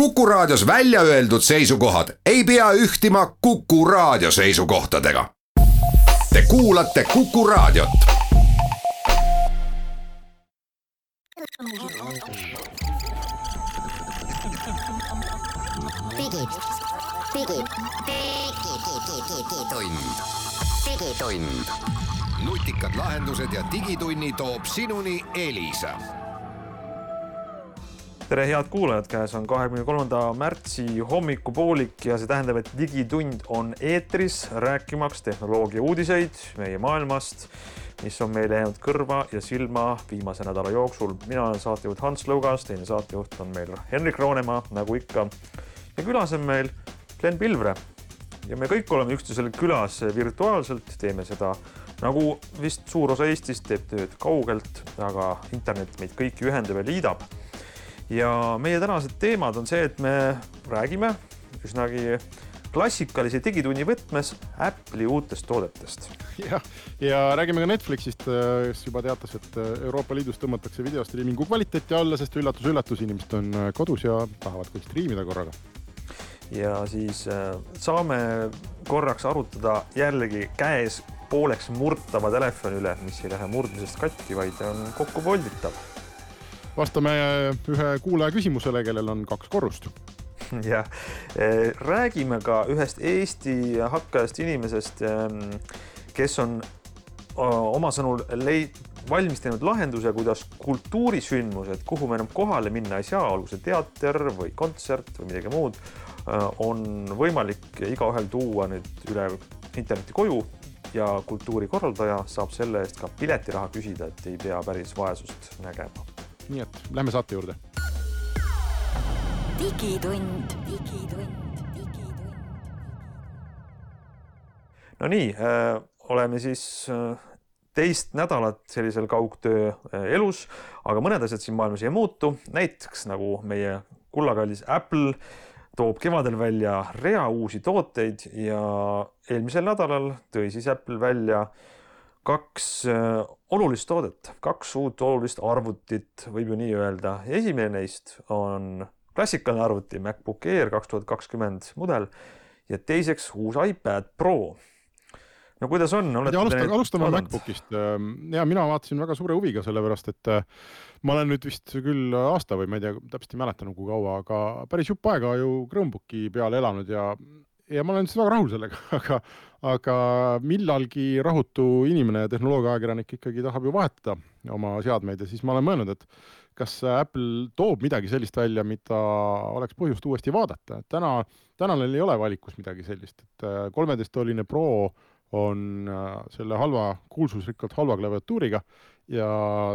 Kuku Raadios välja öeldud seisukohad ei pea ühtima Kuku Raadio seisukohtadega. Te kuulate Kuku Raadiot. Digitund. Nutikad lahendused ja digitunni toob sinuni Elisa. Tere head kuulajad, käes on 23. märtsi hommikupoolik ja see tähendab, et digitund on eetris rääkimaks tehnoloogia uudiseid meie maailmast, mis on meile jäänud kõrva ja silma viimase nädala jooksul. Mina olen saatejuht Hans Lõugas, teine saatejuht on meil Henrik Roonemaa, nagu ikka. Ja külas on meil Glen Pilvre. Ja me kõik oleme üksteisel külas virtuaalselt, teeme seda nagu vist suur osa Eestist teeb tööd kaugelt, aga internet meid kõiki ühendab ja liidab. Ja meie tänased teemad on see, et me räägime üsnagi klassikalise digitunni võtmes Apple'i uutest toodetest. Ja räägime ka Netflixist, kes juba teatas, et Euroopa Liidus tõmmatakse videostriimingu kvaliteeti alla, sest üllatus, inimesed on kodus ja tahavad kõik striimida korraga. Ja siis saame korraks arutada jällegi käes pooleks murtava telefoni üle, mis ei lähe murdmisest katki, vaid on kokku volditav. Vastame ühe kuulaja küsimusele, kellel on 2 korrust. Ja räägime ka ühest Eesti hakkajast inimesest, kes on oma sõnul valmis teinud lahenduse, kuidas kultuurisündmused, kuhu me enam kohale minna ei saa, olgu see teater või kontsert või midagi muud, on võimalik igaühel tuua nüüd üle interneti koju ja kultuurikorraldaja saab selle eest ka piletiraha küsida, et ei pea päris vaesust nägema. Nii et lähme saate juurde. Digitund. No nii, oleme siis teist nädalat sellisel kaugtöö elus, aga mõned asjad siin maailmas ei muutu. Näiteks nagu meie kullakallis Apple toob kevadel välja rea uusi tooteid ja eelmisel nädalal tõi siis Apple välja 2 olulist toodet, 2 uut olulist arvutit, võib ju nii öelda. Esimene neist on klassikaline arvuti MacBook Air 2020 mudel ja teiseks uus iPad Pro. No kuidas on? Alustame MacBookist. Ja mina vaatasin väga suure huviga selle pärast, et ma olen nüüd vist küll aasta või ma ei tea, täpselt ei mäletan kui kaua, aga päris jupp aega ju Chromebooki peal elanud ja ma olen väga rahul sellega, aga millalgi rahutu inimene ja tehnoloogiaajakirjanik ikkagi tahab ju vahetada oma seadmeid ja siis ma olen mõelnud, et kas Apple toob midagi sellist välja, mida oleks põhjust uuesti vaadata. Täna neil ei ole valikus midagi sellist, et 13-tolline Pro on selle kuulsusrikkalt halva klaviatuuriga ja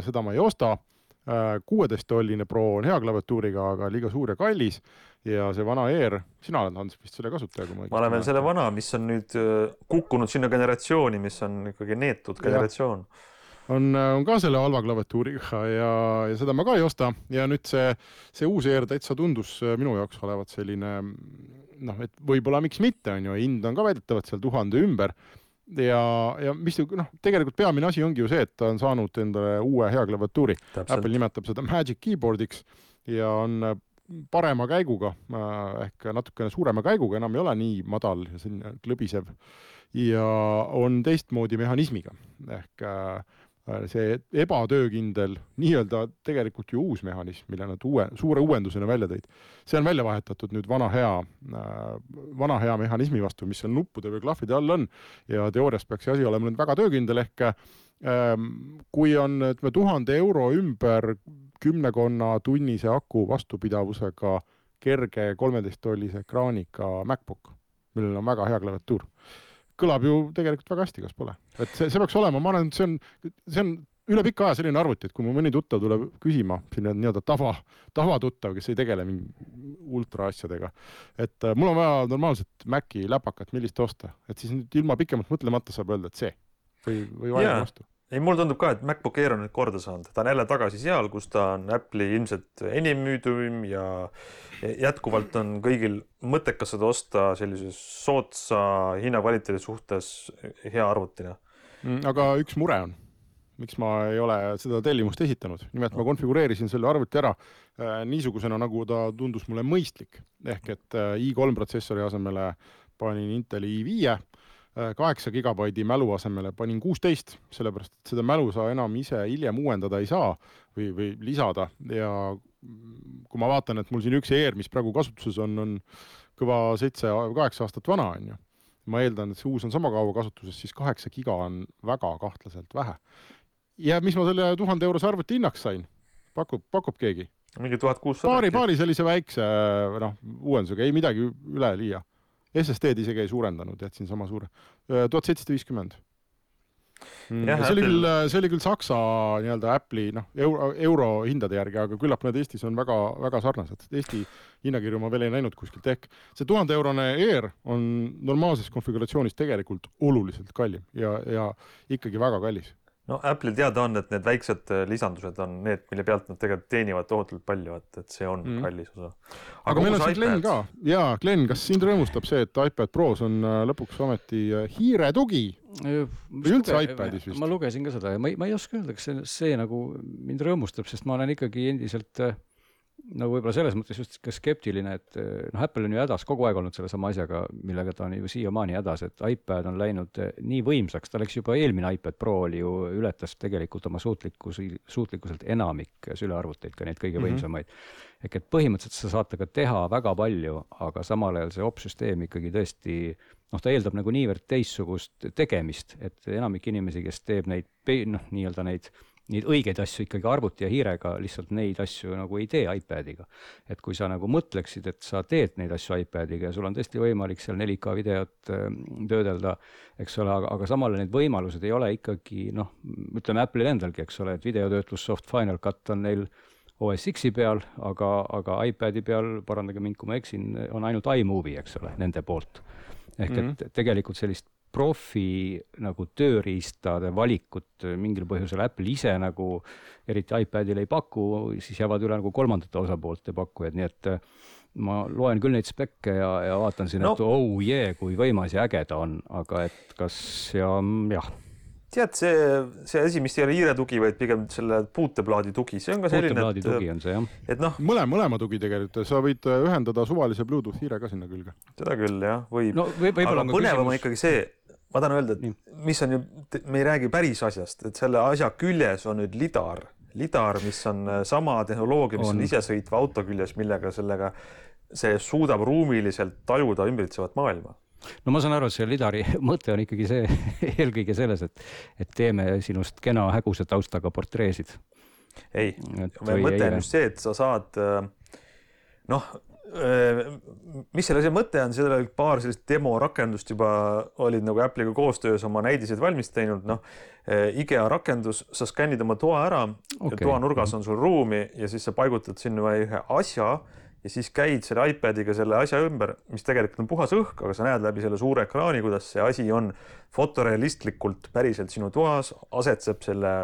seda ma ei osta. 16-tolline Pro on hea klaviatuuriga, aga liiga suur ja kallis ja see vana Air, sina oled Hans vist selle kasutaja. Ma olen veel selle vana, mis on nüüd kukkunud sinna generatsiooni, mis on ikkagi neetud generatsioon. On ka selle halva klaviatuuriga ja seda ma ka ei osta ja nüüd see uus Air täitsa tundus minu jaoks olevat selline, et võib-olla miks mitte on ju, hind on ka väidetavalt seal 1000 ümber ja mis tegelikult peamine asi ongi ju see, et ta on saanud endale uue hea klaviatuuri. Apple nimetab seda Magic Keyboardiks ja on parema käiguga, ehk natukene suurema käiguga, enam ei ole nii madal ja selline klõbisev ja on teistmoodi mehhanismiga ehk see ebatöökindel, nii-öelda tegelikult ju uus mehhanism, mille nad suure uuendusena välja tõid. See on välja vahetatud nüüd vana hea mehhanismi vastu, mis seal nuppude või klahvide all on ja teoorias peaks see asi olema nüüd väga töökindel ehk kui on 1000 euro ümber 10 tunnise aku vastupidavusega kerge 13-tollise ekraaniga MacBook, millel on väga hea klaviatuur. Kõlab ju tegelikult väga hästi, kas pole. Et see peaks olema, ma arvan, et see on üle pika aja selline arvuti, et kui mu mõni tuttav tuleb küsima, selline nii-öelda tavatuttav, kes ei tegele ultra asjadega, et mul on vaja normaalset Maci läpakat, millist osta, et siis nüüd ilma pikemalt mõtlemata saab öelda, et see või vaja vastu. Ei, mul tundub ka, et MacBook Air on nüüd korda saanud. Ta on jälle tagasi seal, kus ta on Apple'i ilmselt enim müüdum ja jätkuvalt on kõigil mõttekas seda osta sellises sootsa hinnakvaliteedi suhtes hea arvutina. Aga üks mure on. miks ma ei ole seda tellimust esitanud. Nimelt ma konfigureerisin selle arvuti ära niisugusena, nagu ta tundus mulle mõistlik. Ehk et i3 protsessori asemele panin Inteli i5, 8 gigabaidi mälu asemele panin 16, sellepärast et seda mälu sa enam ise hiljem uuendada ei saa või lisada. Ja kui ma vaatan, et mul siin üks ER, mis praegu kasutuses on kõva 7-8 aastat vana, on ju. Ma eeldan, et see uus on sama kaua kasutuses, siis 8 giga on väga kahtlaselt vähe. Ja mis ma selle 1000 € arvuti hinnaks sain? Pakub keegi? Mingi 1600. Paari sellise väikse uuendusega, ei midagi üle liia. SSD-d isegi ei suurendanud, jätsin sama suure. 1750. See oli küll Saksa nii-öelda Apple'i euro hindade järgi, aga küllap need Eestis on väga, väga sarnased. Eesti hinnakirju ma veel ei näinud kuskilt. Ehk see 1000 € ER on normaalses konfiguratsioonis tegelikult oluliselt kallim ja ikkagi väga kallis. No Apple'il teada on, et need väiksed lisandused on need, mille pealt nad tegelikult teenivad tohutult palju, et see on kallis osa. Aga meil on see Glen ka. Jaa, Glen, kas sind rõõmustab see, et iPad Pros on lõpuks ometi hiire tugi? Või üldse iPadis vist? Ma lugesin ka seda ja ma ei oska öelda, kas see nagu mind rõõmustab, sest ma olen ikkagi endiselt nagu võib-olla selles mõttes just ka skeptiline, et Apple on ju hädas kogu aeg olnud selle sama asjaga, millega ta on ju siiamaani hädas, et iPad on läinud nii võimsaks, ta läks juba eelmine iPad Pro oli ju ületas tegelikult oma suutlikkuselt enamik sülearvuteid, ka neid kõige võimsamaid. Ehk et põhimõtteliselt sa saad ka teha väga palju, aga samal ajal see opsüsteem ikkagi tõesti, ta eeldab nagu niivõrd teissugust tegemist, et enamik inimesi, kes teeb neid õigeid asju ikkagi arvuti ja hiirega, lihtsalt neid asju nagu ei tee iPadiga. Et kui sa nagu mõtleksid, et sa teed neid asju iPadiga ja sul on tõesti võimalik seal 4K videot töödelda, eks ole, aga samale need võimalused ei ole ikkagi, ütleme Apple'il endalgi, eks ole, et videotöötlussoft Final Cut on neil OS X-i peal, aga iPadi peal, parandage mind, kui ma eksin, on ainult iMovie, eks ole, nende poolt. Ehk et tegelikult sellist profi nagu tööriistade valikut mingil põhjusel Apple ise nagu eriti iPadil ei paku, siis jäävad üle nagu kolmandate osapoolte pakkujad, nii et ma loen küll neid spekke ja vaatan siin, et kui võimas ja äge ta on, aga et kas Tead, see asi, mis ei ole hiire tugi, vaid pigem selle puuteplaadi tugi, see on ka selline, puuteplaadi tugi on see, jah. Et mõlema tugi tegelikult, sa võid ühendada suvalise Bluetooth hiire ka sinna külge. Seda küll, jah, võib. Aga põnevam on ikkagi see, ma tahan öelda, et mis on ju, me ei räägi päris asjast, et selle asja küljes on nüüd lidar, mis on sama tehnoloogia, mis on isesõitva auto küljes, millega see suudab ruumiliselt tajuda ümbritsevat maailma. No ma saan aru, et see lidari mõte on ikkagi see eelkõige selles, et teeme sinust kena häguse taustaga portreesid. Ei, mõte on just see, et sa saad, mis selle mõte on, seal oli paar sellist demo rakendust juba olid nagu Apple'iga koostöös oma näidiseid valmis teinud, IKEA rakendus, sa skännid oma toa ära, toa nurgas on sul ruumi ja siis sa paigutad sinna ühe asja ja siis käid selle iPadiga selle asja ümber, mis tegelikult on puhas õhk, aga sa näed läbi selle suure ekraani, kuidas see asi on fotorealistlikult päriselt sinu toas, asetseb selle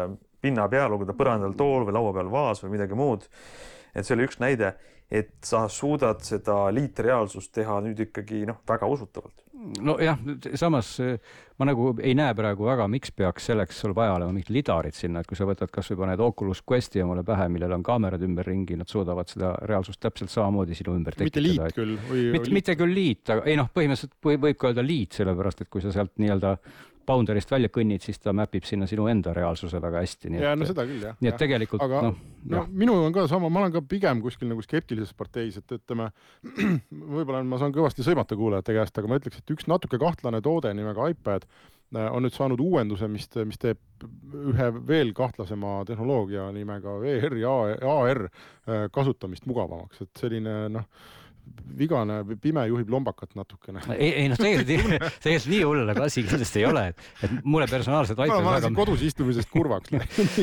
pinna peal, olgu ta põrandal tool või laua peal vaas või midagi muud. Et see oli üks näide, et sa suudad seda liitreaalsust teha nüüd ikkagi väga usutavalt. No jah, samas ma nagu ei näe praegu väga, miks peaks selleks sul vaja olema mingid lidarid sinna, et kui sa võtad kas või paned Oculus Questi omale pähe, millel on kaamerad ümber ringi, nad suudavad seda reaalsust täpselt samamoodi sinu ümber tekitada. Mitte liit küll? Mitte küll liit, aga põhimõtteliselt võib ka öelda liit, sellepärast, et kui sa sealt nii-öelda boundary'st välja kõnnid, siis ta mäpib sinna sinu enda reaalsuse väga hästi. Ja seda küll, jah. Nii et tegelikult, aga minu on ka sama, ma olen ka pigem kuskil nagu skeptilises parteis, et ütleme, võib-olla ma saan kõvasti sõimata kuulajate käest, aga ma ütleks, et üks natuke kahtlane toode nimega iPad on nüüd saanud uuenduse, mis teeb ühe veel kahtlasema tehnoloogia nimega VR ja AR kasutamist mugavamaks, et selline vigane pime juhib lombakat natukene. Ei, tegelikult nii hullega asi kindlasti ei ole, et mulle personaalselt iPad ma olen kodus istumisest kurvaks.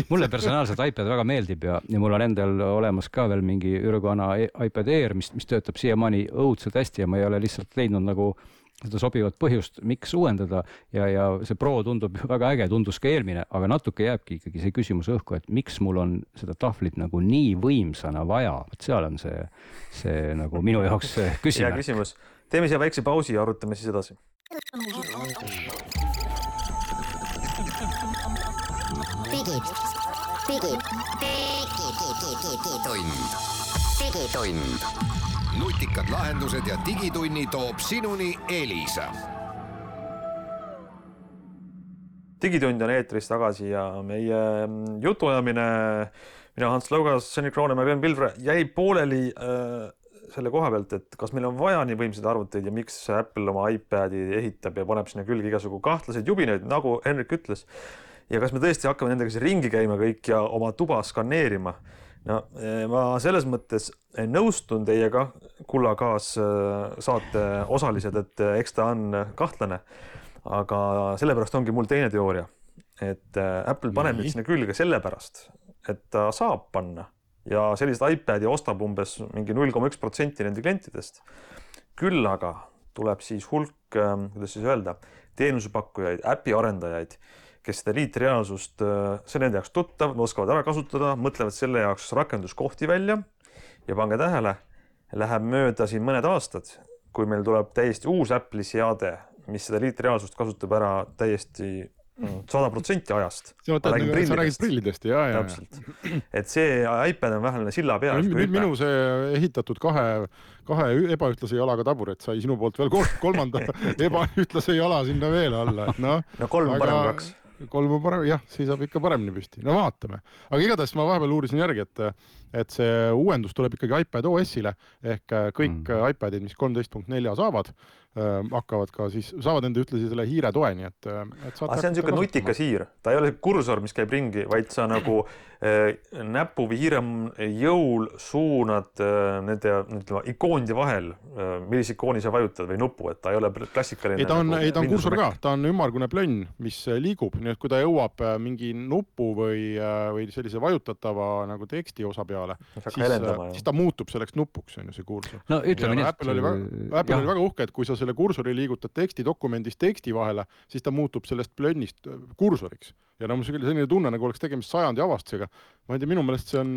Mulle personaalselt iPad väga meeldib ja mul on endal olemas ka veel mingi ürgana iPad Air, mis töötab siiamaani õudselt hästi ja ma ei ole lihtsalt leidnud nagu seda sobivat põhjust, miks uuendada ja see Pro tundub väga äge, tundus ka eelmine, aga natuke jääbki ikkagi see küsimus õhku, et miks mul on seda tahvlit nagu nii võimsana vaja, et seal on see nagu minu jaoks küsimus. Hea küsimus. Teeme siia väikse pausi ja arutame siis edasi. Digitund. Nutikad lahendused ja digitunni toob sinuni Elisa. Digitund on eetris tagasi ja meie jutuajamine, mina Hans Laugas, Sõnni Kroonemäe, Glenn Pilvre jäi pooleli selle koha pealt, et kas meil on vaja nii võimsaid arvuteid ja miks Apple oma iPadi ehitab ja paneb sinna külge igasugu kahtlaseid jubinaid, nagu Henrik ütles. Ja kas me tõesti hakkame nendega siin ringi käima kõik ja oma tuba skaneerima? No, ma selles mõttes nõustun teiega, kulla kaas saate osalised, et eks ta on kahtlane, aga sellepärast ongi mul teine teooria, et Apple paneb nüüd sinna külge sellepärast, et ta saab panna ja sellised iPadi ostab umbes mingi 0,1% nende klientidest. Küll aga tuleb siis hulk, kuidas siis öelda, teenusepakkujaid, äpi arendajaid, kes seda liitreaalsust, see nende jaoks tuttav, oskavad ära kasutada, mõtlevad selle jaoks rakenduskohti välja ja pange tähele, läheb mööda siin mõned aastad, kui meil tuleb täiesti uus Apple'i seade, mis seda liitreaalsust kasutab ära täiesti 100% ajast. Sa räägid prillidest, ja. Täpselt. Et see iPad on vähemalt silla peal. Minu see ehitatud kahe ebaühtlase jalaga taburet sai sinu poolt veel kolmanda ebaühtlase jala sinna veel alla. No 3 parem 2. 3 parem, jah, siis saab ikka paremini püsti. No vaatame. Aga igatahes ma vahepeal uurisin järgi, et see uuendus tuleb ikkagi iPad OS-ile ehk kõik iPadid, mis 13.4 saavad, hakkavad ka siis, saavad enda ühtlasi selle hiire toe, nii et see on niisugune nutikas hiir. Ta ei ole kursor, mis käib ringi, vaid sa nagu näpu või hiire jõul suunad nende ikoonide vahel, millise ikooni sa vajutad või nupu, et ta ei ole klassikaline. Ei, ta on kursor ka, ta on ümmargune plönn, mis liigub, nii et kui ta jõuab mingi nupu või sellise vajutatava nagu teksti osa peale, siis ta muutub selleks nupuks, on ju see kursor. No ütleme nii, Apple oli väga uhke, et kui sa selle kursori liigutad tekstidokumendist teksti vahele, siis ta muutub sellest plönnist kursoriks. Ja mul selline tunne, nagu oleks tegemist sajandi avastusega. Ma ei tea, minu meelest see on,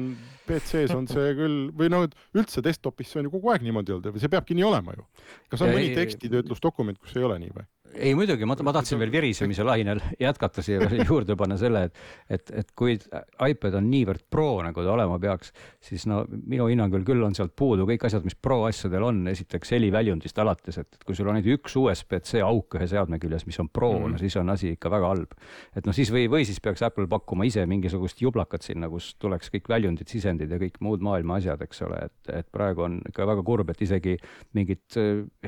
PC-s on see küll, või üldse desktopis see on ju kogu aeg niimoodi olnud, või see peabki nii olema ju. Kas on mõni tekstitöötlusdokument, kus ei ole nii või? Ei, muidugi, ma tahtsin veel virisemise lainel jätkata siia juurde panna selle, et kui iPad on niivõrd pro, nagu ta olema peaks, siis minu hinnangul küll on sealt puudu kõik asjad, mis pro asjadel on, esiteks heliväljundist alates, et kui sul on üks USB-C auk ühe seadme küljes, mis on pro, siis on asi ikka väga halb. Et siis või siis peaks Apple pakkuma ise mingisugust jublakat sinna, kus tuleks kõik väljundid, sisendid ja kõik muud maailma asjad, eks ole, et praegu on ikka väga kurb, et isegi mingit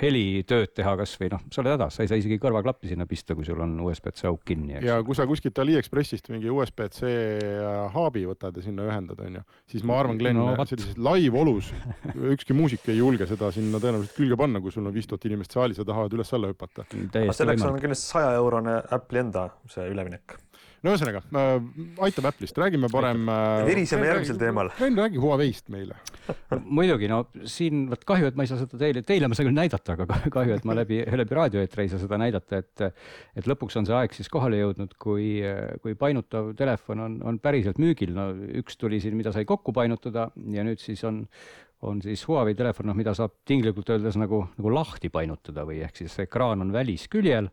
helitööd teha kas või sa oled hädas, sa ei saa isegi kõrvaklappi sinna pista, kui sul on USB-C auk kinni. Eks. Ja kui sa kuskilt AliExpressist mingi USB-C haabi võtad ja sinna ühendad, on ju, siis ma arvan, Glenn, sellises live-olus ükski muusik ei julge seda sinna tõenäoliselt külge panna, kui sul on 5000 inimest saalis ja tahavad üles-alla hüpata. Selleks on kindlasti 100-eurone Apple'i enda see üleminek. No ühesõnaga, aitab Apple'ist, räägime parem... Viriseme järgmisel teemal. Räägi Huawei'st meile. Muidugi, siin kahju, et ma ei saa seda teile ma saan küll näidata, aga kahju, et ma läbi raadioeetri ei saa seda näidata, et lõpuks on see aeg siis kohale jõudnud, kui painutav telefon on päriselt müügil. Üks tuli siin, mida sai kokku painutada ja nüüd siis on siis Huawei telefon, mida saab tinglikult öeldes nagu lahti painutada või ehk siis ekraan on välisküljel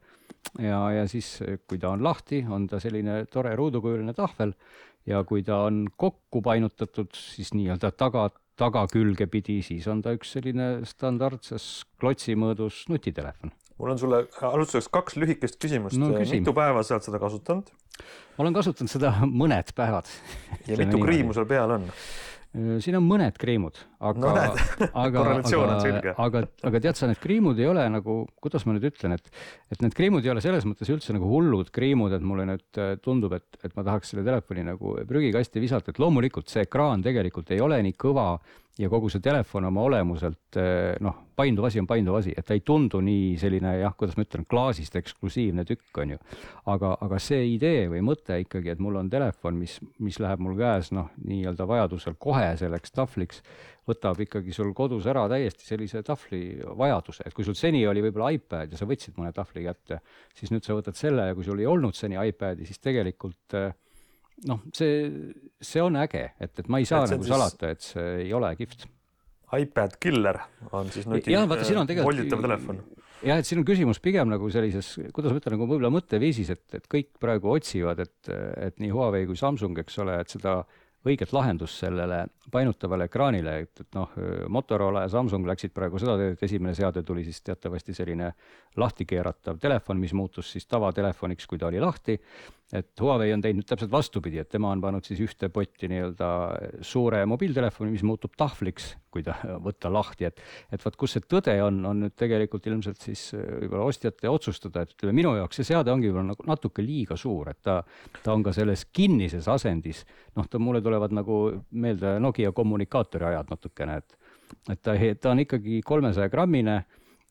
ja siis kui ta on lahti, on ta selline tore ruudukujuline tahvel ja kui ta on kokku painutatud, siis nii-öelda tagakülge pidi, siis on ta üks selline standardses klotsimõõdus nutitelefon. Mul on sulle alustuseks 2 lühikest küsimust. Mitu päeva sa oled seda kasutanud? Ma olen kasutanud seda mõned päevad. Ja mitu kriimu sul peal on? Siin on mõned kriimud, aga tead sa, need kriimud ei ole nagu, kuidas ma nüüd ütlen, et need kriimud ei ole selles mõttes üldse nagu hullud kriimud, et mulle nüüd tundub, et ma tahaks selle telefoni nagu prügikasti visata, et loomulikult see ekraan tegelikult ei ole nii kõva ja kogu see telefon oma olemuselt, painduv asi on painduv asi, et ta ei tundu nii selline, kuidas ma ütlen, klaasist eksklusiivne tükk on ju. Aga see idee või mõte ikkagi, et mul on telefon, mis läheb mul käes, nii-öelda vajadusel kohe selleks tahvliks, võtab ikkagi sul kodus ära täiesti sellise tahvli vajaduse, et kui sul seni oli võib-olla iPad ja sa võtsid mõne tahvli kätte, siis nüüd sa võtad selle ja kui sul ei olnud seni iPadi, siis tegelikult see on äge, et ma ei saa nagu salata, et see ei ole kihvt. iPad Killer on siis volitav telefon. Jah, et siin on küsimus pigem nagu sellises, kuidas ma ütlen, nagu võib-olla mõtteviisis, et kõik praegu otsivad, et nii Huawei kui Samsung, eks ole, et seda õiget lahendust sellele painutavale ekraanile, et Motorola ja Samsung läksid praegu seda, et esimene seade tuli siis teatavasti selline lahti keeratav telefon, mis muutus siis tavatelefoniks, kui ta oli lahti. Et Huawei on teinud täpselt vastupidi, et tema on pannud siis ühte potti nii-öelda suure mobiiltelefoni, mis muutub tahvliks, kui ta võtta lahti. Et vaat kus see tõde on nüüd tegelikult ilmselt siis võib-olla ostjate otsustada, et ütleme, minu jaoks see seade ongi nagu natuke liiga suur, et ta on ka selles kinnises asendis. Mulle tulevad nagu meelde Nokia kommunikaatori ajad natukene, et ta on ikkagi 300 grammine,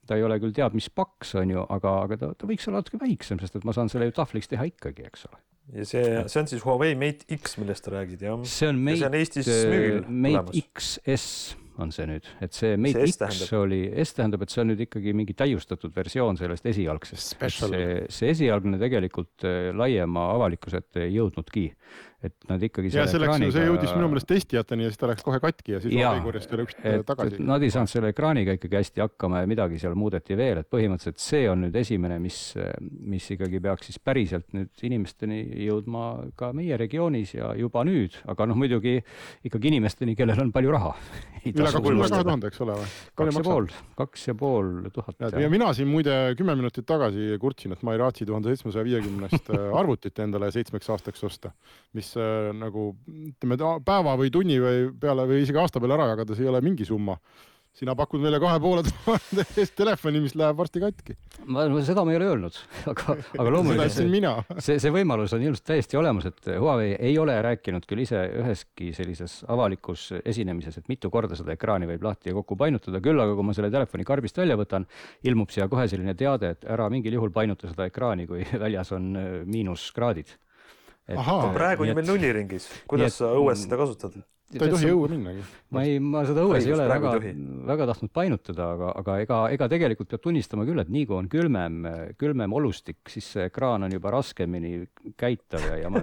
ta ei ole küll teab, mis paks on ju, aga ta võiks olla natuke väiksem, sest et ma saan selle ju tahvliks teha ikkagi, eks ole. Ja see on siis Huawei Mate X, millest ta räägid, jah? See on Eestis müügil Mate XS on see nüüd, et see Mate X oli, S tähendab, et see on nüüd ikkagi mingi täiustatud versioon sellest esialgsest. See esialgne tegelikult laiema avalikkuselt ei jõudnudki. Et nad ikkagi ja see jõudis minu meelest testijateni ja siis ta läks kohe katki ja siis Huawei-korjast üle tagasi. Nad ei saanud selle ekraaniga ikkagi hästi hakkama ja midagi seal muudeti veel, et põhimõtteliselt see on nüüd esimene, mis ikkagi peaks siis päriselt nüüd inimesteni jõudma ka meie regioonis ja juba nüüd, aga muidugi ikkagi inimesteni, kellel on palju raha. Üle 2000, eks ole või? 2500. Ja mina siin muide 10 minutit tagasi kurtsin, et ma ei raatsi 1750 arvutit endale 7 aastaks osta, mis nagu päeva või tunni või peale või isegi aasta peale ära jagada, see ei ole mingi summa. Sina pakud meile 2500 eest telefoni, mis läheb varsti katki. Seda ma ei ole öelnud, aga loomulikult see võimalus on ilmselt täiesti olemas, et Huawei ei ole rääkinud küll ise üheski sellises avalikus esinemises, et mitu korda seda ekraani võib lahti ja kokku painutada, küll aga kui ma selle telefoni karbist välja võtan, ilmub siia kohe selline teade, et ära mingil juhul painuta seda ekraani, kui väljas on -kraadid. Praegu on meil nulliringis. Kuidas sa õues seda kasutad? Ta ei tohi õue minnagi. Ma seda õues ei ole väga tahtnud painutada, aga ega tegelikult peab tunnistama küll, et nii kui on külmem olustik, siis see ekraan on juba raskemini käitav ja ma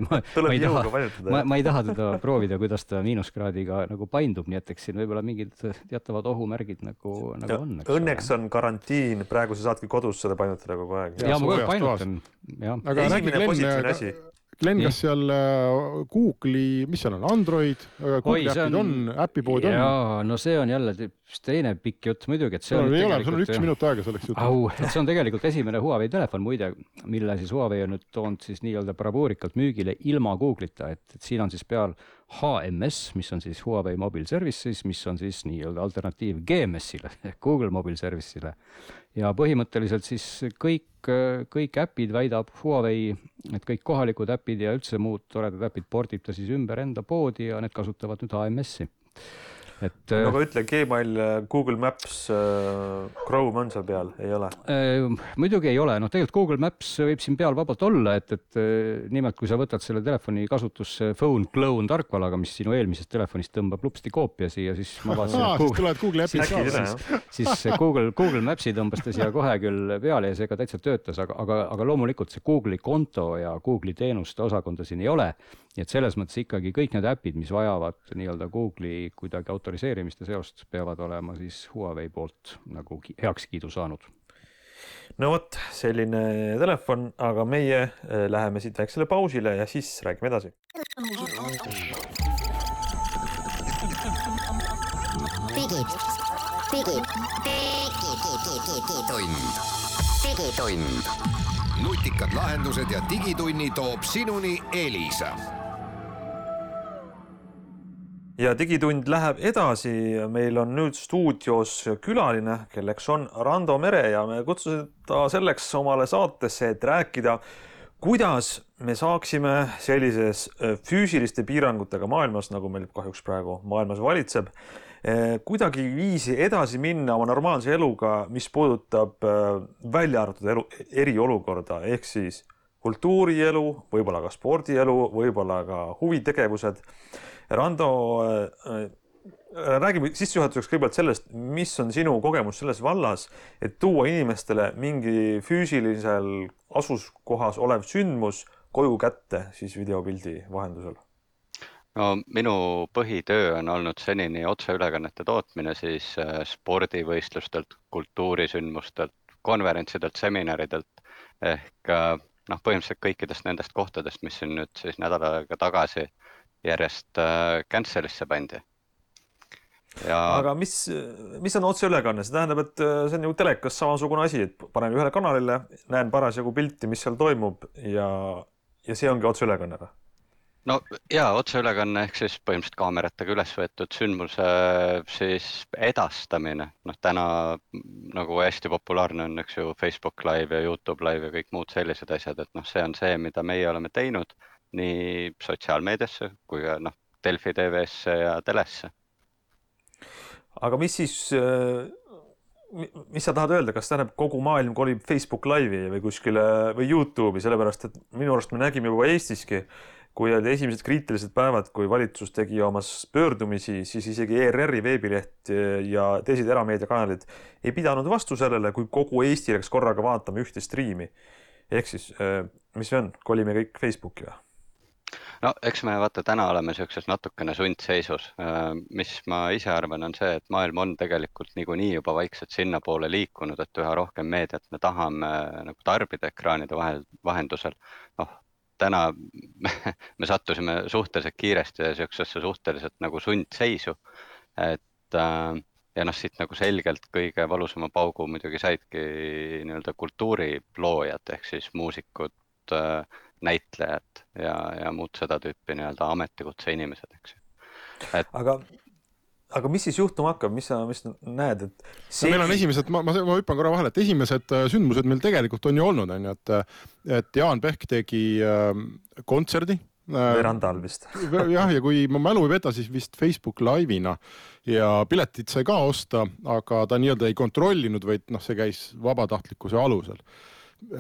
ei taha teda proovida, kuidas ta -kraadiga nagu paindub, nii et eks siin võib-olla mingid teatavad ohumärgid nagu on. Õnneks on karantiin, praegu sa saadki kodus seda painutada kogu aeg. Ja ma kogu painutan. Aga räägi Glenn, kas seal Google'i, mis seal on, Android, Google äpid on, äpipood on? Jaa, no see on jälle teine pikk jutt muidugi, et see on sul on 1 minut aega selleks jutt. See on tegelikult esimene Huawei telefon muide, mille siis Huawei on nüüd toonud siis nii-öelda bravuurikalt müügile ilma Google'ita, et siin on siis peal HMS, mis on siis Huawei Mobile Services, mis on siis nii-öelda alternatiiv GMS-ile, Google Mobile Service'ile. Ja põhimõtteliselt siis kõik äpid väidab Huawei, et kõik kohalikud äpid ja üldse muud toredad äpid pordib ta siis ümber enda poodi ja need kasutavad nüüd HMS-i. Aga ütle, Gmail, Google Maps, Chrome on seal peal, ei ole? Muidugi ei ole. Tegelikult Google Maps võib siin peal vabalt olla, et nimelt kui sa võtad selle telefoni kasutusse Phone Clone tarkvalaga, mis sinu eelmisest telefonist tõmbab lupsti koopia siia, siis ma vaatasin, siis Google Mapsi tõmbas ta siia kohe küll peale ja see ka täitsa töötas, aga loomulikult see Google'i konto ja Google'i teenuste osakonda siin ei ole. Nii et selles mõttes ikkagi kõik need äpid, mis vajavad nii-öelda Google'i kuidagi autoriseerimiste seost, peavad olema siis Huawei poolt nagu heakskiidu saanud. No vot, selline telefon, aga meie läheme siit väiksele pausile ja siis räägime edasi. Digitund. Nutikad lahendused ja digitunni toob sinuni Elisa. Ja digitund läheb edasi. Meil on nüüd stuudios külaline, kelleks on Rando Mere ja me kutsusime ta selleks omale saatesse, et rääkida, kuidas me saaksime sellises füüsiliste piirangutega maailmas, nagu meil kahjuks praegu maailmas valitseb, kuidagi viisi edasi minna oma normaalse eluga, mis puudutab välja arvatud eriolukorda, ehk siis kultuurielu, võib-olla ka spordielu, võib-olla ka huvitegevused. Rando, räägime sissejuhatuseks kõigepealt sellest, mis on sinu kogemus selles vallas, et tuua inimestele mingi füüsilisel asuskohas olev sündmus koju kätte siis videopildi vahendusel. No minu põhitöö on olnud senini otseülekannete tootmine siis spordivõistlustelt, kultuurisündmustelt, konverentsidelt, seminaridelt ehk põhimõtteliselt kõikidest nendest kohtadest, mis siin nüüd siis nädal aega tagasi järjest cancel'isse pandi. Aga mis on otseülekanne? See tähendab, et see on ju telekas samasugune asi, et panen ühele kanalile, näen parasjagu pilti, mis seal toimub ja see ongi otseülekanne. No jaa, otseülekanne ehk siis põhimõtteliselt kaameratega üles võetud sündmuse siis edastamine. Täna nagu hästi populaarne on, eks ju, Facebook Live ja YouTube Live ja kõik muud sellised asjad, et see on see, mida meie oleme teinud nii sotsiaalmeediasse kui ka Delfi TV-sse ja telesse. Aga mis sa tahad öelda, kas tähendab kogu maailm kolib Facebook Live'i või kuskile või YouTube'i, sellepärast et minu arust me nägime juba Eestiski, kui olid esimesed kriitilised päevad, kui valitsus tegi oma pöördumisi, siis isegi ERR-i veebileht ja teised erameediakanalid ei pidanud vastu sellele, kui kogu Eesti läks korraga vaatama ühte striimi. Ehk siis, mis see on? Kolime kõik Facebooki või? No eks me täna oleme sellises natukene sundseisus. Mis ma ise arvan on see, et maailm on tegelikult niikuinii juba vaikselt sinna poole liikunud, et üha rohkem meediat me tahame nagu tarbida ekraanide vahendusel. Täna me sattusime suhteliselt kiiresti sellisesse suhteliselt nagu sundseisu, ja siit nagu selgelt kõige valusama paugu muidugi saidki nii-öelda kultuuriloojad ehk siis muusikud, näitlejad ja muud seda tüüpi nii-öelda ametikutse inimesed, eks ju. Aga mis siis juhtuma hakkab, mis sa näed? Meil on esimesed, ma hüppan korra vahele, et esimesed sündmused meil tegelikult on ju olnud, et Jaan Pehk tegi kontserdi. Verandal vist. Jah, ja kui ma mälu ei peta, siis vist Facebook Live'ina ja piletid sai ka osta, aga ta nii-öelda ei kontrollinud, vaid see käis vabatahtlikkuse alusel.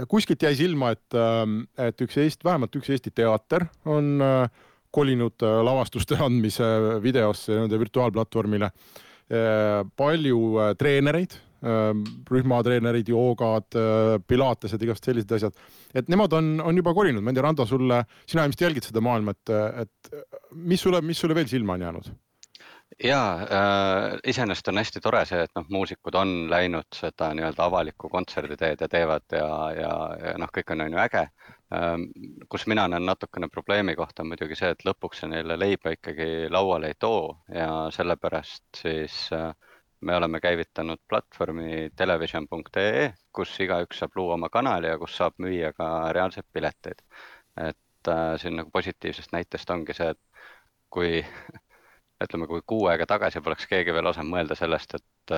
Kuskilt jäi silma, et vähemalt üks Eesti teater on kolinud lavastuste andmise videosse nende virtuaalplatvormile. Palju treenereid, rühmatreenerid, joogad, pilatesed, igast sellised asjad. Et nemad on juba kolinud. Ma ei tea, Rando, sina ilmselt jälgid seda maailma, et mis sulle veel silma on jäänud? Jaa, iseenesest on hästi tore see, et muusikud on läinud seda nii-öelda avalikku kontserditeed ja teevad ja kõik on ju äge. Kus mina näen natukene probleemi kohta on muidugi see, et lõpuks see neile leiba ikkagi lauale ei too ja sellepärast siis me oleme käivitanud platvormi television.ee, kus igaüks saab luua oma kanali ja kus saab müüa ka reaalseid pileteid. Et siin nagu positiivsest näitest ongi see, et kui 6 aega tagasi poleks keegi veel osanud mõelda sellest, et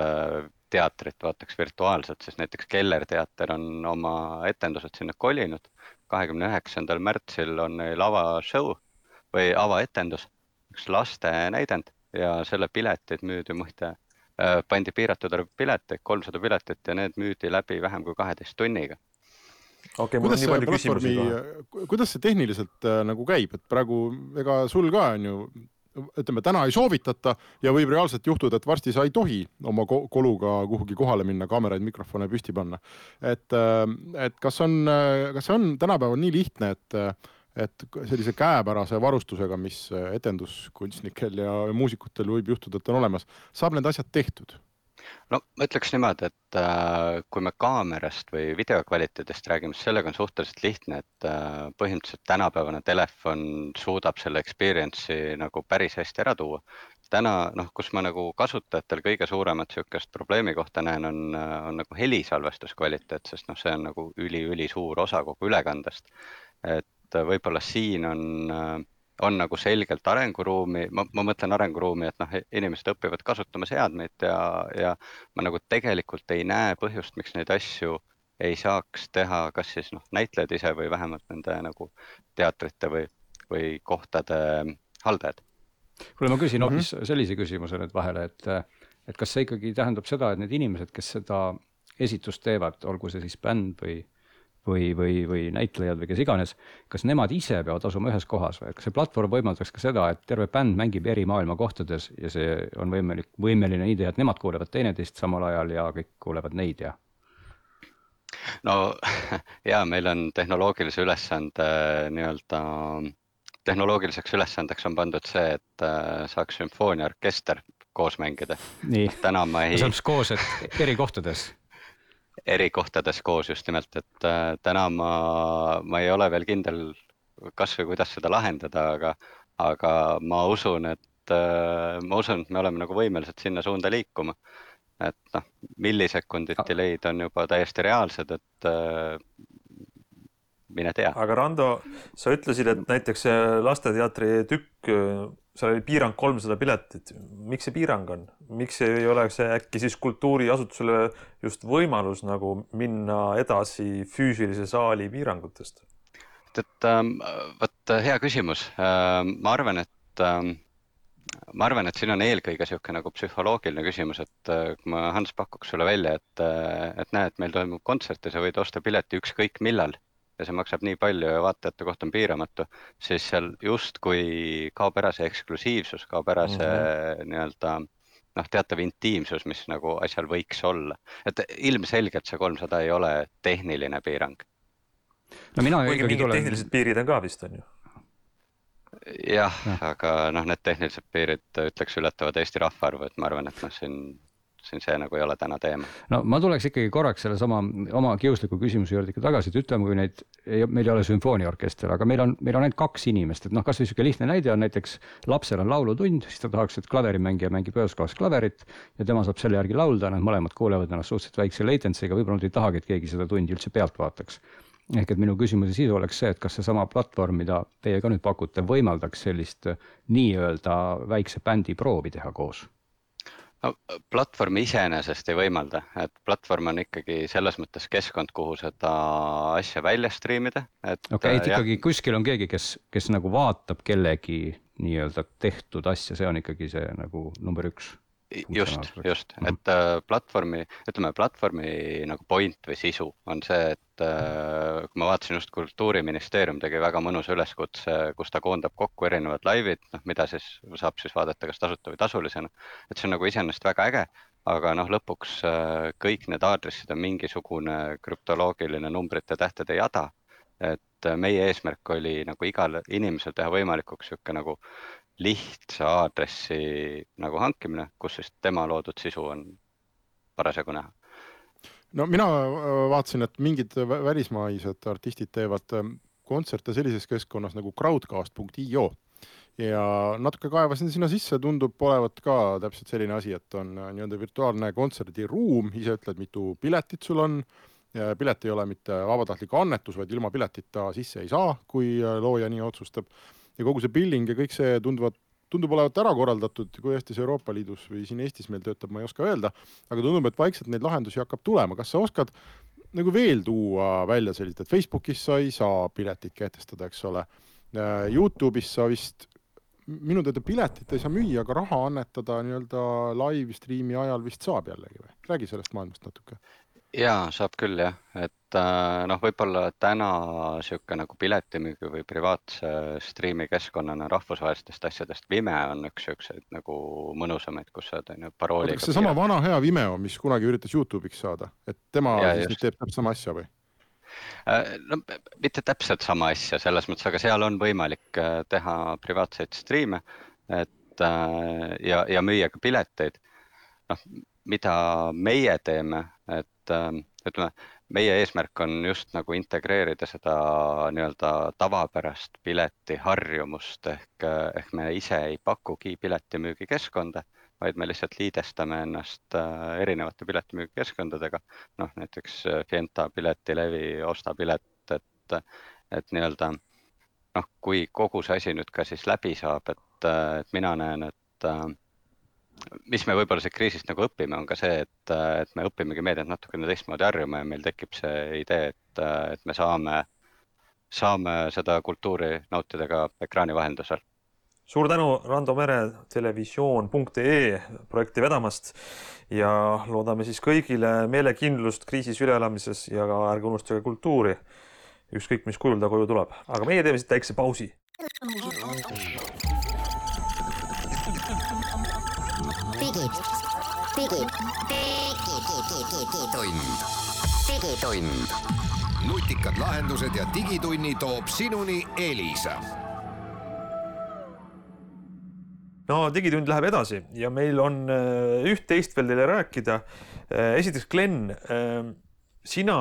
teatrit vaataks virtuaalselt, siis näiteks Keller teater on oma etendused sinna kolinud. 29. märtsil on neil avashow või avaetendus, üks laste näidend ja selle piletid müüdi muide, pandi piiratud arv pileteid, 300 piletit ja need müüdi läbi vähem kui 12 tunniga. Okei, mul on nii palju küsimusi. Kuidas see tehniliselt nagu käib, et praegu ega sul ka on ju ütleme, täna ei soovitata ja võib reaalselt juhtuda, et varsti sa ei tohi oma koluga kuhugi kohale minna, kaameraid, mikrofone püsti panna. Et kas on tänapäeval nii lihtne, et sellise käepärase varustusega, mis etenduskunstnikel ja muusikutel võib juhtuda, et on olemas, saab need asjad tehtud? No ma ütleks niimoodi, et kui me kaamerast või videokvaliteedist räägime, siis sellega on suhteliselt lihtne, et põhimõtteliselt tänapäevane telefon suudab selle experience'i nagu päris hästi ära tuua. Täna, kus ma nagu kasutajatel kõige suuremat sihukest probleemi kohta näen, on nagu helisalvestuskvaliteet, sest see on nagu üli suur osa kogu ülekandest. Et võib-olla siin on nagu selgelt arenguruumi, ma mõtlen arenguruumi, et inimesed õpivad kasutama seadmeid ja ma nagu tegelikult ei näe põhjust, miks neid asju ei saaks teha kas siis näitlejad ise või vähemalt nende nagu teatrite või kohtade haldajad. Kuule, ma küsin hoopis sellise küsimuse nüüd vahele, et kas see ikkagi tähendab seda, et need inimesed, kes seda esitust teevad, olgu see siis bänd või näitlejad või kes iganes, kas nemad ise peavad asuma ühes kohas või? Kas see platvorm võimaldaks ka seda, et terve bänd mängib eri maailma kohtades ja see on võimeline idee, et nemad kuulevad teineteist samal ajal ja kõik kuulevad neid ja? No ja meil on tehnoloogilise ülesande nii-öelda tehnoloogiliseks ülesandeks on pandud see, et saaks sümfooniaorkester koos mängida. Nii, täna ma ei... saab koos, et eri kohtades. Eri kohtades koos just nimelt, et täna ma ei ole veel kindel kas või kuidas seda lahendada, aga ma usun, et me oleme nagu võimelised sinna suunda liikuma. Et noh, millisekunditi leid on juba täiesti reaalsed, et mine tea. Aga Rando, sa ütlesid, et näiteks lasteteatri tükk, seal oli piirang 300 piletit. Miks see piirang on? Miks ei ole see äkki siis kultuuriasutusele just võimalus nagu minna edasi füüsilise saali piirangutest? Võt hea küsimus. Ma arvan, et siin on eelkõige siuke nagu psühholoogiline küsimus, et kui ma Hans pakuks sulle välja, et näed, meil toimub kontsert ja sa võid osta pileti ükskõik millal ja see maksab nii palju ja vaatajate koht on piiramatu, siis seal just kui kaob ära see eksklusiivsus, kaob ära see nii-öelda teatav intiimsus, mis nagu asjal võiks olla. Et ilmselgelt see 300 ei ole tehniline piirang. No mina kuigi mingid tehnilised piirid on ka vist, on ju? Jah, aga need tehnilised piirid ütleks ületavad Eesti rahvaarvu, et ma arvan, et siin see nagu ei ole täna teema. No ma tuleks ikkagi korraks selle sama oma kiusliku küsimuse juurde ikka tagasi, et ütleme, kui meil ei ole sümfooniaorkester, aga meil on ainult 2 inimest, et kas või siuke lihtne näide on näiteks lapsel on laulutund, siis ta tahaks, et klaverimängija mängib ühes kohas klaverit ja tema saab selle järgi laulda, nad mõlemad kuulevad ennast suhteliselt väikse latency'ga, võib-olla nad ei tahagi, et keegi seda tundi üldse pealt vaataks. Ehk et minu küsimuse sisu oleks see, et kas see sama platvorm, mida teie ka nüüd pakute, võimaldaks sellist nii-öelda väikse bändi proovi teha koos? No, platvorm iseenesest ei võimalda, et platvorm on ikkagi selles mõttes keskkond, kuhu seda asja välja striimida. Et ikkagi kuskil on keegi, kes nagu vaatab kellegi nii-öelda tehtud asja, see on ikkagi see nagu number 1. Just, et platvormi nagu point või sisu on see, et kui ma vaatasin just Kultuuriministeerium tegi väga mõnus üleskutse, kus ta koondab kokku erinevad laivid, mida siis saab siis vaadata kas tasuta või tasulisena, et see on nagu iseenesest väga äge, aga lõpuks kõik need aadressid on mingisugune krüptoloogiline numbrite tähtede jada, et meie eesmärk oli nagu igal inimesel teha võimalikuks siuke nagu lihtsa aadressi nagu hankimine, kus siis tema loodud sisu on parasjagu näha. No mina vaatasin, et mingid välismaised artistid teevad kontserte sellises keskkonnas nagu crowdcast.io ja natuke kaevasin sinna sisse, tundub olevat ka täpselt selline asi, et on nii-öelda virtuaalne kontserdiruum, ise ütled, mitu piletit sul on. Pilet ei ole mitte vabatahtlik annetus, vaid ilma piletita sisse ei saa, kui looja nii otsustab. Ja kogu see billing ja kõik see tundub olevat ära korraldatud, kui Eestis Euroopa Liidus või siin Eestis meil töötab, ma ei oska öelda, aga tundub, et vaikselt neid lahendusi hakkab tulema. Kas sa oskad nagu veel tuua välja sellist, et Facebookis sa ei saa piletit kehtestada, eks ole. YouTube'is sa vist, minu teada piletit ei saa müüa, aga raha annetada nii-öelda live streami ajal vist saab jällegi või? Räägi sellest maailmast natuke. Jaa, saab küll jah, et võib-olla täna siuke nagu piletimüügi või privaatse striimi keskkonnana rahvusvahelistest asjadest Vimeo on üks siukseid nagu mõnusamaid, kus sa parooliga. Kas see sama vana hea Vimeo, mis kunagi üritas YouTube'iks saada, et tema siis teeb täpselt sama asja või? No, mitte täpselt sama asja selles mõttes, aga seal on võimalik teha privaatseid striime ja müüa ka pileteid. Mida meie teeme, et ütleme, meie eesmärk on just nagu integreerida seda nii-öelda tavapärast pileti harjumust ehk me ise ei pakugi piletimüügi keskkonda, vaid me lihtsalt liidestame ennast erinevate piletimüügi keskkondadega, näiteks Fienta piletilevi, Osta pilet, et nii-öelda kui kogu see asi nüüd ka siis läbi saab, et mina näen, et mis me võib-olla see kriisist nagu õpime, on ka see, et me õpimegi meediat natukene teistmoodi harjuma ja meil tekib see idee, et me saame seda kultuuri nautida ka ekraani vahendusel. Suur tänu Rando Mere televisioon.ee projekti vedamast ja loodame siis kõigile meelekindlust kriisis üleelamises ja ärge unustage kultuuri, ükskõik mis kujul ta koju tuleb. Aga meie teeme siit väikse pausi. Digitund. Nutikad lahendused ja digitunni toob sinuni Elisa. No digitund läheb edasi ja meil on üht-teist veel teile rääkida. Esiteks, Glen, sina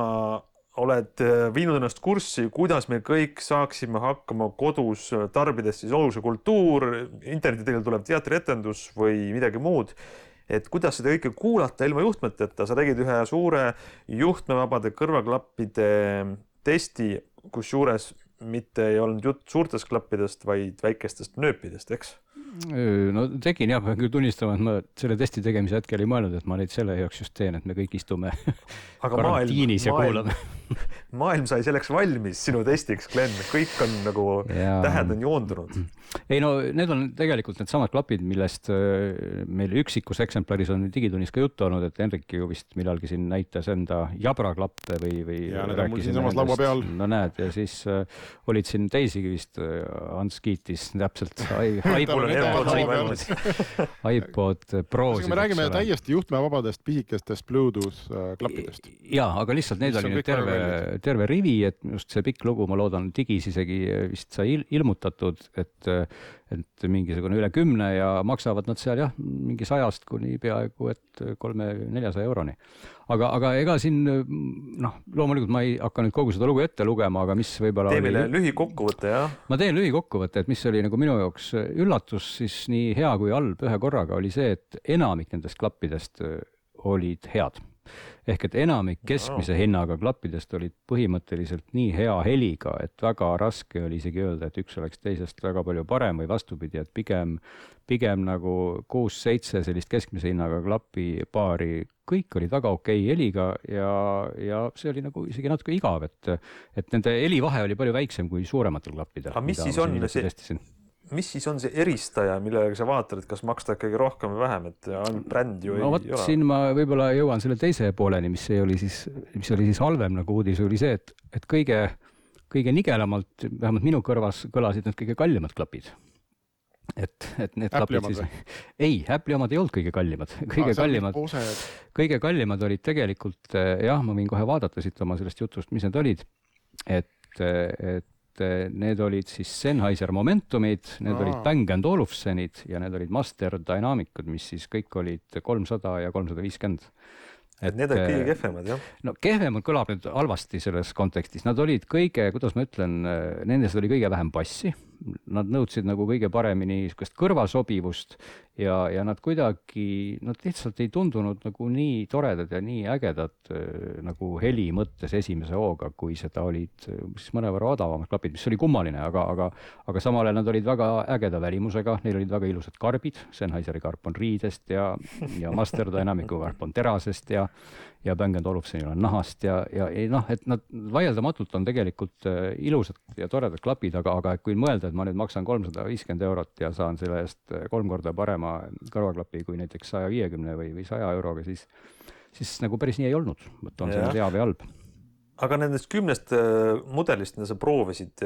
oled viinud ennast kurssi, kuidas me kõik saaksime hakkama kodus tarbides siis olulise kultuur, internetidel tuleb teatrietendus või midagi muud, et kuidas seda kõike kuulata ilma juhtmeteta. Sa tegid ühe suure juhtmevabade kõrvaklappide testi, kus juures mitte ei olnud jutt suurtest klappidest, vaid väikestest nööpidest, eks? No tegin jah, pean küll tunnistama, et ma selle testi tegemise hetkel ei mõelnud, et ma neid selle jaoks just teen, et me kõik istume karantiinis ja kuulame. Maailm sai selleks valmis sinu testiks, Glen, kõik on nagu tähed on joondunud. Ei no need on tegelikult need samad klapid, millest meil üksikus eksemplaris on digitunnis ka juttu olnud, et Henrik ju vist millalgi siin näitas enda jabraklappe või ja need on mul siin samas laua peal. No näed, ja siis olid siin teisigi vist, Ants kiitis täpselt iPod Pro'sid. Me räägime täiesti juhtmevabadest pisikestest Bluetooth klappidest. Jaa, aga lihtsalt need oli nüüd terve rivi, et just see pikk lugu, ma loodan, digis isegi vist sai ilmutatud, et mingisugune üle 10 ja maksavad nad seal jah, mingi 100 kuni peaaegu, et 300-400 euroni. Aga ega siin, loomulikult ma ei hakka nüüd kogu seda lugu ette lugema, aga mis võibolla Tee meile lühikokkuvõte, jah? Ma teen lühikokkuvõte, et mis oli nagu minu jaoks üllatus, siis nii hea kui halb ühe korraga oli see, et enamik nendest klappidest olid head. Ehk et enamik keskmise hinnaga klappidest olid põhimõtteliselt nii hea heliga, et väga raske oli isegi öelda, et üks oleks teisest väga palju parem või vastupidi, et pigem nagu 6-7 sellist keskmise hinnaga klappi paari, kõik olid väga okei heliga ja see oli nagu isegi natuke igav, et nende helivahe oli palju väiksem kui suurematel klappidel. Aga mis siis on see eristaja, millega sa vaatad, et kas maksta ikkagi rohkem või vähem, et bränd ju ei ole? Siin ma võib-olla jõuan selle teise pooleni, mis oli siis halvem nagu uudis, oli see, et kõige nigelamalt, vähemalt minu kõrvas kõlasid need kõige kallimad klapid. Et need klapid siis... Ei, Apple'i omad ei olnud kõige kallimad. Kõige kallimad olid tegelikult, jah, ma võin kohe vaadata siit oma sellest jutust, mis need olid, et need olid siis Sennheiser Momentumid, need olid Bang & Olufsenid ja need olid Master Dynamicud, mis siis kõik olid 300 ja 350. Et need olid kõige kehvemad, jah? No kehvemad kõlab nüüd halvasti selles kontekstis. Nad olid kõige, kuidas ma ütlen, nendest oli kõige vähem bassi. Nad nõudsid nagu kõige paremini kõrvasobivust ja nad kuidagi, nad lihtsalt ei tundunud nagu nii toredad ja nii ägedad nagu heli mõttes esimese hooga, kui seda olid siis mõnevõrra odavamad klapid, mis oli kummaline, aga samal ajal nad olid väga ägeda välimusega, neil olid väga ilusad karbid, Sennheiseri karp on riidest ja Master Dynamicu karp on terasest ja Bang & Olufsenil on nahast ja et nad vaieldamatult on tegelikult ilusad ja toredad klapid, aga kui mõelda, et ma nüüd maksan 350 eurot ja saan selle eest 3 korda parema kõrvaklapi kui näiteks 150 või 100 euroga, siis nagu päris nii ei olnud. On see hea või halb. Aga nendest 10 mudelist, mida sa proovisid,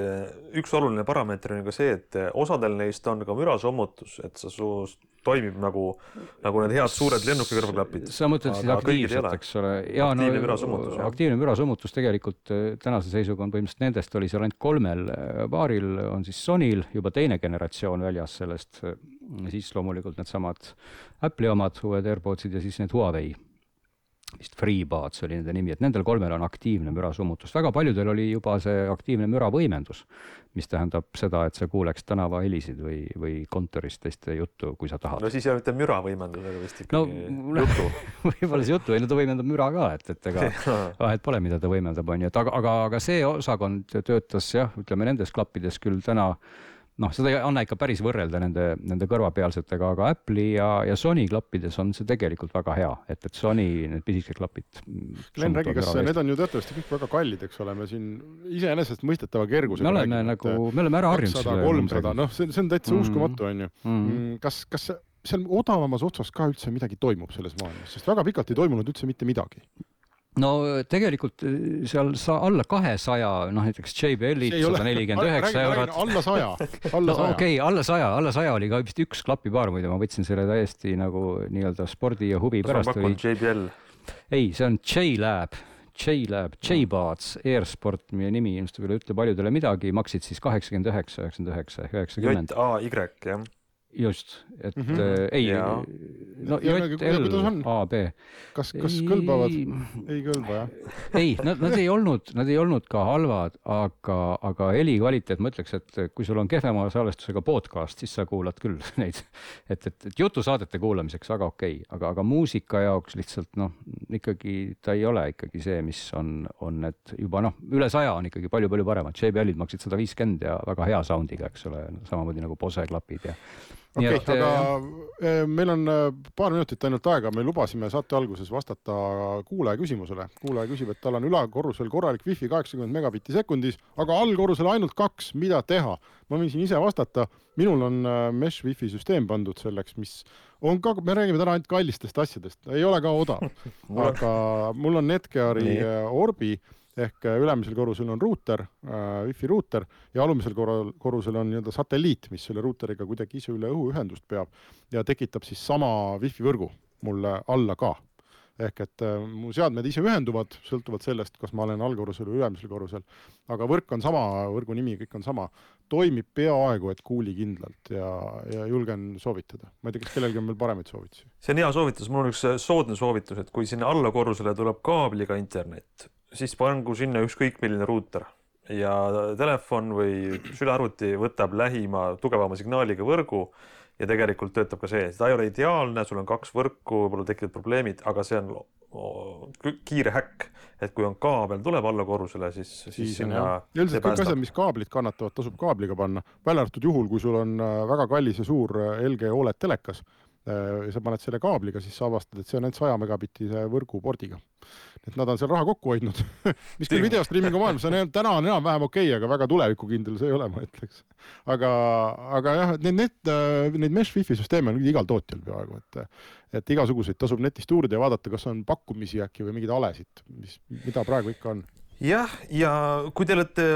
üks oluline parameeter on ka see, et osadel neist on ka mürasommutus, et sa toimib nagu need head suured lennukikõrvaklapid. Sa mõtled siis aktiivselt, eks ole? Aktiivne mürasommutus. Aktiivne mürasommutus tegelikult tänase seisuga on põhimõtteliselt nendest oli seal ainult 3 paaril, on siis Sonyl juba teine generatsioon väljas sellest, siis loomulikult need samad Apple'i omad, uued AirPodsid ja siis need Huawei. Vist FreeBuds oli nende nimi, et nendel 3 on aktiivne mürasummutus. Väga paljudel oli juba see aktiivne müravõimendus, mis tähendab seda, et sa kuuleks tänava helisid või kontorist teiste juttu, kui sa tahad. No siis ei ole mitte müravõimendusega vist ikkagi juttu. Võib-olla see juttu, ta võimendab müra ka, et ega vahet pole, mida ta võimendab, on ju. Aga see osakond töötas jah, ütleme nendes klappides küll täna, seda ei anna ikka päris võrrelda nende kõrvapealsetega, aga Apple'i ja Sony klappides on see tegelikult väga hea, et Sony need pisikesed klapid. Glen, räägi, kas need on ju töötavasti kõik väga kallid, eks ole, me siin iseenesest mõistetava kergusega me oleme ära harjunud 200-300, see on täitsa uskumatu, on ju. Kas seal odavamas otsas ka üldse midagi toimub selles maailmas, sest väga pikalt ei toimunud üldse mitte midagi? No tegelikult seal alla 200, näiteks JBL-id 149 eurot. Alla 100. Okei, alla 100 oli ka vist üks klapipaar, muide, ma võtsin selle täiesti nagu nii-öelda spordi ja huvi pärast. Kas on pakkunud JBL? Ei, see on J-Buds, Airsport, meie nimi, ilmselt üle ütle paljudele midagi, maksid siis 89, 99, 90. J-A-Y, jah. Just, et ei, no JL, A, B. Kas kõlbavad? Ei kõlba, jah? Ei, nad ei olnud ka halvad, aga heli kvaliteet, ma ütleks, et kui sul on kehvema salvestusega podcast, siis sa kuulad küll neid, et jutusaadete kuulamiseks väga okei, aga muusika jaoks lihtsalt, ikkagi ta ei ole ikkagi see, mis on, et juba üle 100 on ikkagi palju paremad. JBL-id maksid 150 ja väga hea soundiga, eks ole, samamoodi nagu Bose klapid ja Okei, aga meil on paar minutit ainult aega, me lubasime saate alguses vastata kuulaja küsimusele. Kuulaja küsib, et tal on ülakorrusel korralik wifi 80 megabitti sekundis, aga allkorrusel ainult 2, mida teha? Ma võin siin ise vastata, minul on mesh wifi süsteem pandud selleks, mis on ka, me räägime täna ainult kallistest asjadest, ei ole ka odav, aga mul on Netgeari Orbi, ehk ülemisel korrusel on ruuter, wifi ruuter ja alumisel korrusel on satelliit, mis selle ruuteriga kuidagi ise üle õhuühendust peab ja tekitab siis sama wifi võrgu mulle alla ka. Ehk et mu seadmed ise ühenduvad, sõltuvad sellest, kas ma olen allkorrusel või ülemisel korrusel, aga võrk on sama, võrgu nimi, kõik on sama. Toimib peaaegu, et kuuli kindlalt ja julgen soovitada. Ma ei tea, kas kellelgi on veel paremaid soovitusi. See on hea soovitus, mul on üks soodne soovitus, et kui sinna allakorrusele tuleb kaabliga internet, siis pangu sinna ükskõik milline ruuter ja telefon või sülearvuti võtab lähima tugevama signaaliga võrgu ja tegelikult töötab ka see. Ta ei ole ideaalne, sul on 2 võrku, võib-olla tekivad probleemid, aga see on kiire häkk, et kui on kaabel tuleb alla korrusele, siis sinna üldiselt kõik asjad, mis kaablid kannatavad, tasub kaabliga panna. Välja arvatud juhul, kui sul on väga kallis ja suur LG OLED telekas ja sa paned selle kaabliga, siis sa avastad, et see on ainult 100 megabittise võrgupordiga. Et nad on seal raha kokku hoidnud. Mis küll videostreamingu maailmas on täna on enam-vähem okei, aga väga tulevikukindel see ei ole, ma ütleks. Aga jah, neid mesh wifi süsteeme on igal tootjal peaaegu, et igasuguseid tasub netist uurida ja vaadata, kas on pakkumisi äkki või mingid alesid, mida praegu ikka on. Jah, ja kui te olete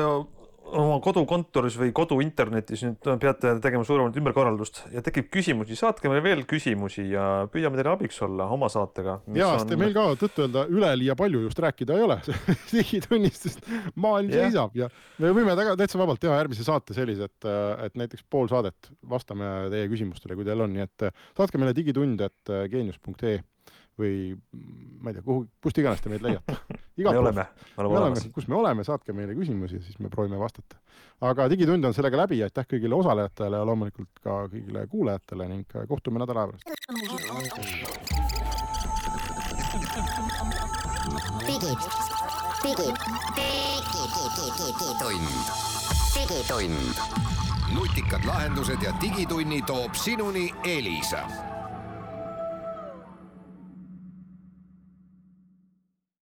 oma kodukontoris või koduinternetis nüüd peate tegema suuremat ümberkorraldust ja tekib küsimusi, saatke meile veel küsimusi ja püüame teile abiks olla oma saatega. Jaa, sest meil ka tõtt-öelda üleliia palju just rääkida ei ole. Digitunnistest maailm seisab ja me võime täitsa vabalt teha järgmise saate sellise, et näiteks pool saadet vastame teie küsimustele, kui teil on. Nii et saatke meile digitund@genius.ee või ma ei tea, kust iganes te meid leiate. Me oleme kus me oleme, saatke meile küsimusi ja siis me proovime vastata. Aga digitund on sellega läbi ja aitäh kõigile osalejatele ja loomulikult ka kõigile kuulajatele ning kohtume nädala pärast. Digitund. Nutikad lahendused ja digitunni toob sinuni Elisa.